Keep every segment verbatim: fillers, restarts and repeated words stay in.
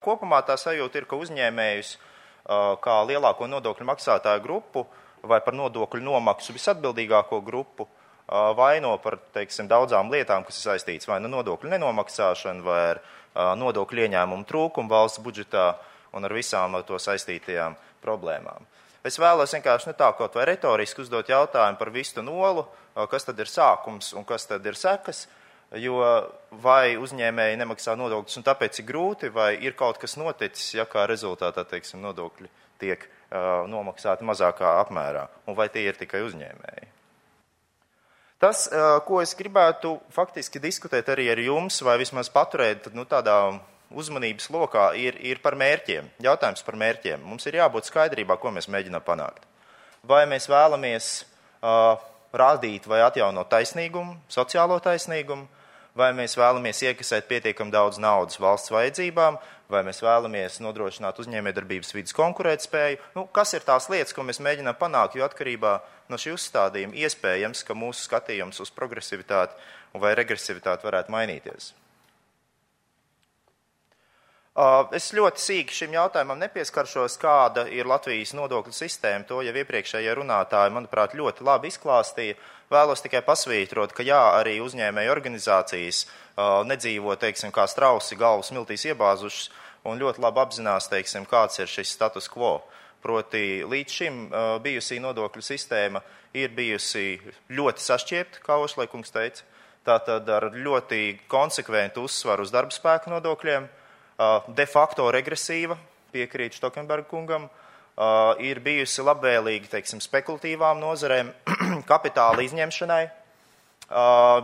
Kopumā tā sajūta ir, ka uzņēmējus kā lielāko nodokļu maksātāju grupu vai par nodokļu nomaksu visatbildīgāko grupu vaino par, teiksim, daudzām lietām, kas ir saistīts vai nu nodokļu nenomaksāšanu, vai ar nodokļu ieņēmumu trūkumu valsts budžetā un ar visām ar to saistītajām problēmām. Es vēlos vienkārši ne tā kaut vai retoriski uzdot jautājumu par vistu nolu, kas tad ir sākums un kas tad ir sekas, jo vai uzņēmēji nemaksā nodokļus un tāpēc ir grūti, vai ir kaut kas noticis, ja kā rezultātā, teiksim, nodokļi tiek uh, nomaksāti mazākā apmērā, un vai tie ir tikai uzņēmēji. Tas, uh, ko es gribētu faktiski diskutēt arī ar jums, vai vismaz paturēt nu, tādā uzmanības lokā, ir, ir par mērķiem. Jautājums par mērķiem. Mums ir jābūt skaidrībā, ko mēs mēģinām panākt. Vai mēs vēlamies uh, rādīt vai atjaunot taisnīgumu, sociālo taisnīgumu, vai mēs vēlamies iekasēt pietiekam daudz naudas valsts vajadzībām, vai mēs vēlamies nodrošināt uzņēmējdarbības vidas konkurētspēju. Nu, kas ir tās lietas, ko mēs mēģinām panākt, jo atkarībā no šī uzstādījuma iespējams, ka mūsu skatījums uz progresivitāti vai regresivitāti varētu mainīties. Es ļoti sīki šim jautājumam nepieskaršos, kāda ir Latvijas nodokļu sistēma. To jau iepriekšējie runātāji, manuprāt, ļoti labi izklāstīja. Vēlos tikai pasvītrot, ka jā, arī uzņēmēju organizācijas uh, nedzīvo, teiksim, kā strausi galvas miltīs iebāzušas un ļoti labi apzinās, teiksim, kāds ir šis status quo. Proti, līdz šim uh, bijusī nodokļu sistēma ir bijusi ļoti sašķiepta, kā Ošlaikungs teica, tātad ar ļoti konsekventu uzsvaru uz darba spēka nodokļiem, de facto regresīva, piekrīt Štokenberga kungam, ir bijusi labvēlīga, teiksim, spekulatīvām nozarēm, kapitāla izņemšanai,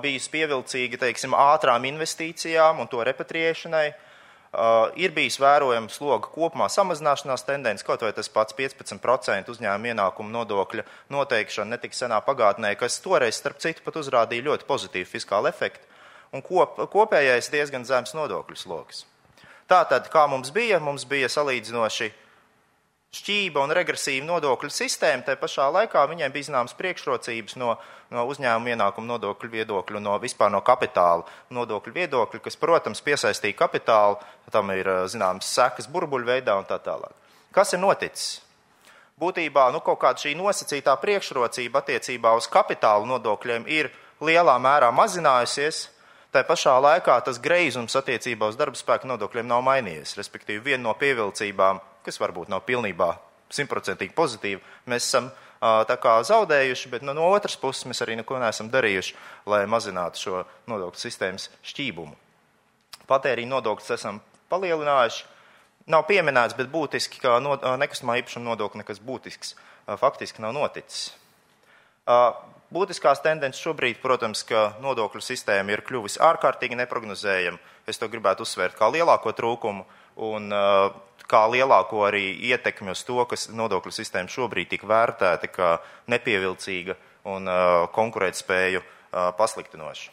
bijusi pievilcīga, teiksim, ātrām investīcijām un to repatriēšanai, ir bijis vērojams sloga kopumā samazināšanās tendence, kaut vai tas pats piecpadsmit procenti uzņēmuma ienākumu nodokļa noteikšana netik senā pagātnē, kas toreiz, starp citu, pat uzrādīja ļoti pozitīvu fiskālu efektu, un kop, kopējais diezgan zems nodokļu sloks. Tātad, kā mums bija, mums bija salīdzinoši šķība un regresīva nodokļu sistēma, tai pašā laikā viņiem bija zināmas priekšrocības no, no uzņēmuma ienākuma nodokļu viedokļu, no vispār no kapitāla nodokļu viedokļu, kas, protams, piesaistīja kapitālu, tam ir zināmas sekas burbuļu veidā un tā tālāk. Kas ir noticis? Būtībā, nu, kaut kāda šī nosacītā priekšrocība attiecībā uz kapitālu nodokļiem ir lielā mērā mazinājusies. Tā pašā laikā tas greizums attiecībā uz darba spēka nodokļiem nav mainījies. Respektīvi, viena no pievilcībām, kas varbūt nav pilnībā simtprocentīgi pozitīva, mēs esam tā kā zaudējuši, bet no, no otras puses mēs arī neko neesam darījuši, lai mazinātu šo nodokļu sistēmas šķībumu. Patēriņa nodokļus esam palielinājuši. Nav pieminēts, bet būtiski, ka no, nekustamā īpašuma nodokļa nekas būtisks faktiski nav noticis. Būtiskās tendences šobrīd, protams, ka nodokļu sistēma ir kļuvusi ārkārtīgi neprognozējama. Es to gribētu uzsvērt kā lielāko trūkumu un uh, kā lielāko arī ietekmi uz to, kas nodokļu sistēma šobrīd tik vērtēta kā nepievilcīga un uh, konkurētspēju uh, pasliktinoša.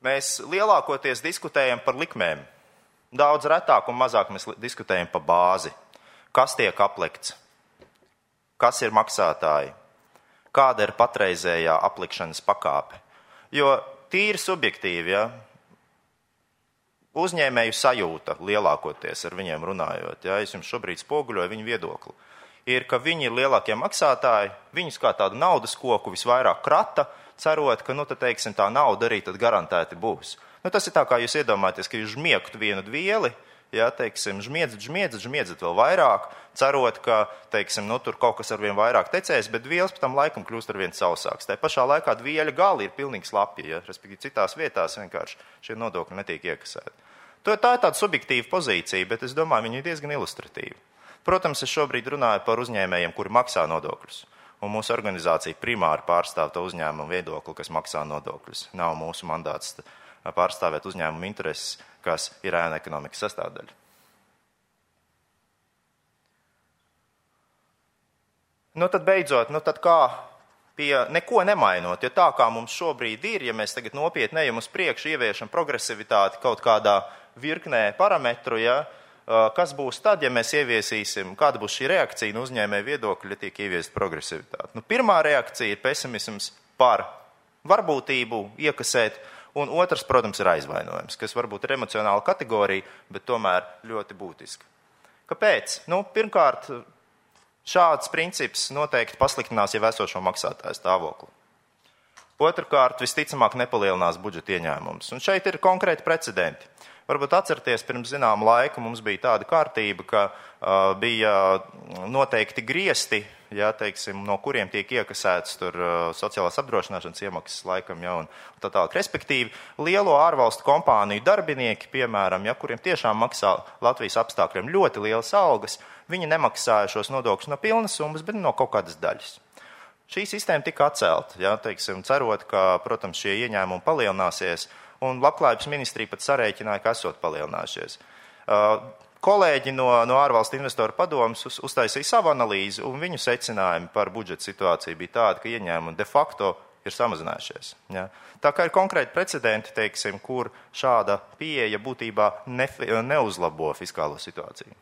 Mēs lielākoties diskutējam par likmēm. Daudz retāk un mazāk mēs diskutējam par bāzi. Kas tiek aplikts? Kas ir maksātāji? Kāda ir patreizējā aplikšanas pakāpe. Jo tīri subjektīvi, ja, uzņēmēju sajūta lielākoties ar viņiem runājot, ja, es jums šobrīd spoguļoju viņu viedokli, ir, ka viņi ir lielākie maksātāji, viņus kā tādu naudas koku visvairāk krata, cerot, ka, nu, tad, teiksim, tā nauda arī tad garantēti būs. Nu, tas ir tā, kā jūs iedomājaties, ka jūs žmiektu vienu dvieli, ja, teiksim, žmiedzat, žmiedzat, žmiedzat vēl vairāk, cerot, ka, teiksim, nu, tur kaut kas arvien vairāk tecēs, bet dvielas pēc tam laikam kļūst arvien sausāks. Tā pašā laikā dvieļa gali ir pilnīgi slapji, ja, respektīvi citās vietās vienkārši šie nodokļi netiek iekasēti. Tā ir tāda subjektīva pozīcija, bet es domāju, viņi ir diezgan ilustratīvi. Protams, es šobrīd runāju par uzņēmējiem, kuri maksā nodokļus, un mūsu organizācija primāri pārstāv to uzņēmumu viedokli, kas maksā nodokļus. Nav mūsu mandāts pārstāvēt uzņēmumu intereses, kas ir ēna ekonomikas sastāvdaļa. Nu tad beidzot, nu tad kā pie neko nemainot, jo tā kā mums šobrīd ir, ja mēs tagad nopietni ejam uz priekšu, ieviešam progresivitāti kaut kādā virknē parametru, ja, kas būs tad, ja mēs ieviesīsim, kāda būs šī reakcija no uzņēmēja viedokļa, ja tiek ieviest progresivitāti. Nu, pirmā reakcija ir pesimisms par varbūtību iekasēt, Un otrs, protams, ir aizvainojums, kas varbūt ir emocionāla kategorija, bet tomēr ļoti būtiska. Kāpēc? Nu, pirmkārt, šāds princips noteikti pasliktinās jau esošo maksātāju stāvokli. Otrkārt, visticamāk nepalielinās budžeta ieņēmumus. Un šeit ir konkrēti precedenti. Varbūt atcerieties, pirms zinām laiku mums bija tāda kārtība, ka uh, bija noteikti griesti, ja, teiksim, no kuriem tiek iekasēts tur uh, sociālās apdrošināšanas iemaksas laikam, ja, un tā tālāk. Respektīvi, lielo ārvalstu kompāniju darbinieki, piemēram, ja, kuriem tiešām maksā Latvijas apstākļiem ļoti lielas algas, viņi nemaksāja šos nodokļus no pilnas summas, bet no kaut kādas daļas. Šī sistēma tika atcelta, ja, teiksim, cerot, ka, protams, šie ieņēmumi palielināsies, un Labklājības ministrija pat sarēķināja, ka esot palielinājušies. Uh, kolēģi no, no ārvalstu investoru padomas uz, uztaisīja savu analīzi, un viņu secinājumi par budžeta situāciju bija tāda, ka ieņēmumi de facto ir samazinājušies. Ja. Tā kā ir konkrēti precedenti, teiksim, kur šāda pieeja būtībā ne, neuzlabo fiskālo situāciju.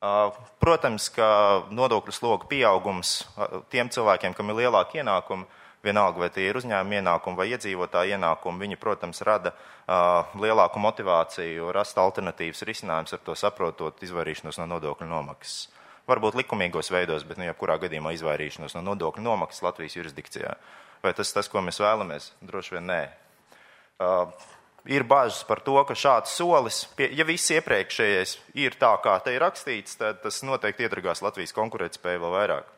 Uh, protams, ka nodokļu sloga pieaugums tiem cilvēkiem, kam ir lielāki ienākumi, vienalga, vai tie ir uzņēmuma ienākumi vai iedzīvotāji ienākumi, viņi, protams, rada uh, lielāku motivāciju, rast alternatīvas risinājumus, ar to saprotot izvairīšanos no nodokļu nomaksas. Varbūt likumīgos veidos, bet nu, jebkurā gadījumā izvairīšanos no nodokļu nomaksas Latvijas jurisdikcijā. Vai tas tas, ko mēs vēlamies? Droši vien nē. Uh, ir bažas par to, ka šāds solis, pie, ja viss iepriekšējais ir tā, kā te ir rakstīts, tad tas noteikti iedragās Latvijas konkurētspēju vēl vairāk.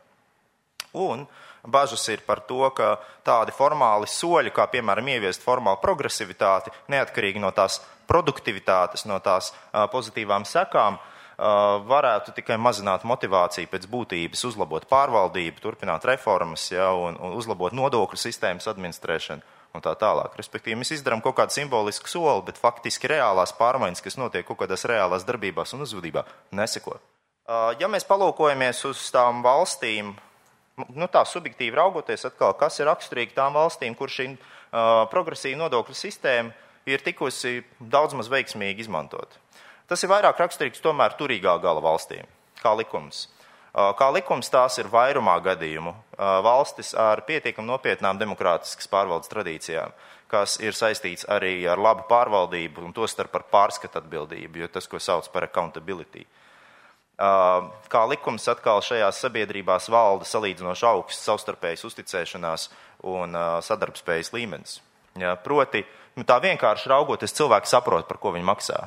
Un bažas ir par to, ka tādi formāli soļi, kā piemēram ieviest formālu progresivitāti, neatkarīgi no tās produktivitātes, no tās uh, pozitīvām sekām, uh, varētu tikai mazināt motivāciju pēc būtības, uzlabot pārvaldību, turpināt reformas, ja, un, un uzlabot nodokļu sistēmas administrēšanu un tā tālāk. Respektīvi, mēs izdarām kaut kādu simbolisku soli, bet faktiski reālās pārmaiņas, kas notiek kaut kādās reālās darbībās un uzvedībā, neseko. Uh, ja mēs palūkojamies uz tām valstīm, nu tā subjektīvi raugoties atkal, kas ir raksturīgi tām valstīm, kur šī uh, progresīva nodokļu sistēma ir tikusi daudz maz veiksmīgi izmantot. Tas ir vairāk raksturīgs tomēr turīgā gala valstīm, kā likums. Uh, kā likums tās ir vairumā gadījumu uh, valstis ar pietiekam nopietnām demokrātiskas pārvaldes tradīcijām, kas ir saistīts arī ar labu pārvaldību un tostarp par pārskatu atbildību, jo tas, ko sauc par accountability. Kā likums atkal šajās sabiedrībās valda salīdzinoši augsts savstarpējas uzticēšanās un sadarbspējas līmenis. Ja, proti, nu tā vienkārši raugoties, cilvēki saprot, par ko viņi maksā.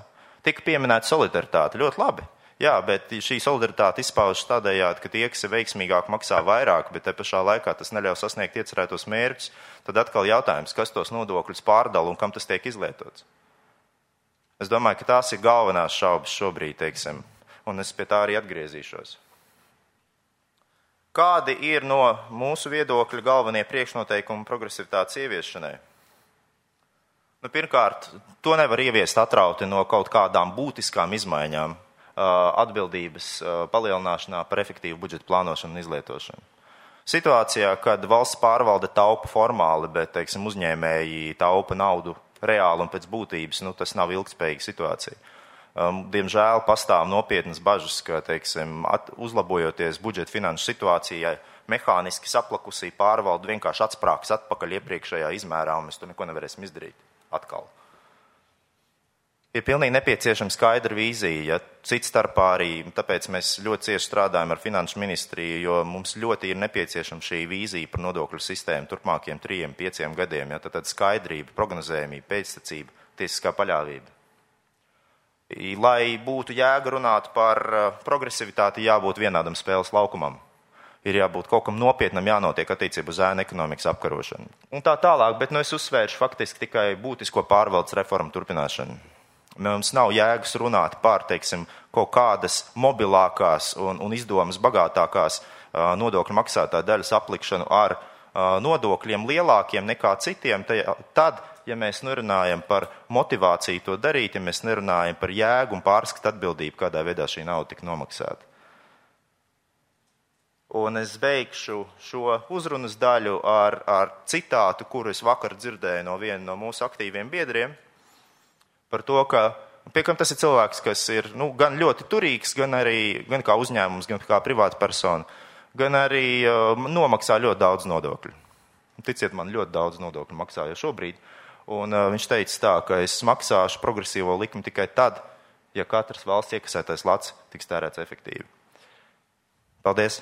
Tika pieminēta solidaritāte, ļoti labi. Jā, bet šī solidaritāte izpaužas tādējādi, ka tie, kas ir veiksmīgāk, maksā vairāk, bet te pašā laikā tas neļauj sasniegt iecerētos mērķus, tad atkal jautājums, kas tos nodokļus pārdala un kam tas tiek izlietots. Es domāju, ka tās ir galvenās šaubas šobrīd, teiksim. Un es pie tā arī atgriezīšos. Kādi ir no mūsu viedokļa galvenie priekšnoteikumi progresivitātes ieviešanai? Nu, pirmkārt, to nevar ieviest atrauti no kaut kādām būtiskām izmaiņām atbildības palielināšanā par efektīvu budžeta plānošanu un izlietošanu. Situācijā, kad valsts pārvalde taupa formāli, bet, teiksim, uzņēmēji taupa naudu reāli un pēc būtības, nu, tas nav ilgspējīga situācija. Diemžēl pastāv nopietnas bažas, ka, teiksim, at, uzlabojoties budžeta finanšu situācijai, mehāniski saplakusī pārvalde vienkārši atsprāks atpakaļ iepriekšējā izmērā, un mēs to neko nevarēsim izdarīt atkal. Ir pilnīgi nepieciešama skaidra vīzija, ja cits starpā arī, tāpēc mēs ļoti cieši strādājam ar finanšu ministriju, jo mums ļoti ir nepieciešama šī vīzija par nodokļu sistēmu turpmākiem trījiem, pieciem gadiem, ja tad, tad skaidrība, prognozējumība, pēctecība, tiesiskā paļāvība. Lai būtu jēga runāt par progresivitāti, jābūt vienādam spēles laukumam. Ir jābūt kaut kam nopietnam, jānotiek attiecību uz ēnu ekonomikas apkarošanu. Un tā tālāk, bet nu es uzsvēršu faktiski tikai būtisko pārvaldes reformu turpināšanu. Mums nav jēgas runāt par, teiksim, kaut kādas mobilākās un, un izdomas bagātākās uh, nodokļu maksātā daļas aplikšanu ar uh, nodokļiem lielākiem nekā citiem, tad, ja mēs nerunājam par motivāciju to darīt, ja mēs nerunājam par jēgu un pārskatu atbildību, kādā veidā šī nauda tika nomaksāta. Un es beigšu šo uzrunas daļu ar, ar citātu, kuru es vakar dzirdēju no viena no mūsu aktīviem biedriem, par to, ka, pie kam tas ir cilvēks, kas ir nu, gan ļoti turīgs, gan arī gan kā uzņēmums, gan kā privāta persona, gan arī uh, nomaksā ļoti daudz nodokļu. Ticiet man, ļoti daudz nodokļu maksā jau šobrīd. Un uh, viņš teica tā, ka es maksāšu progresīvo likmi tikai tad, ja katrs valsts iekasētais lats tiks tērēts efektīvi. Paldies!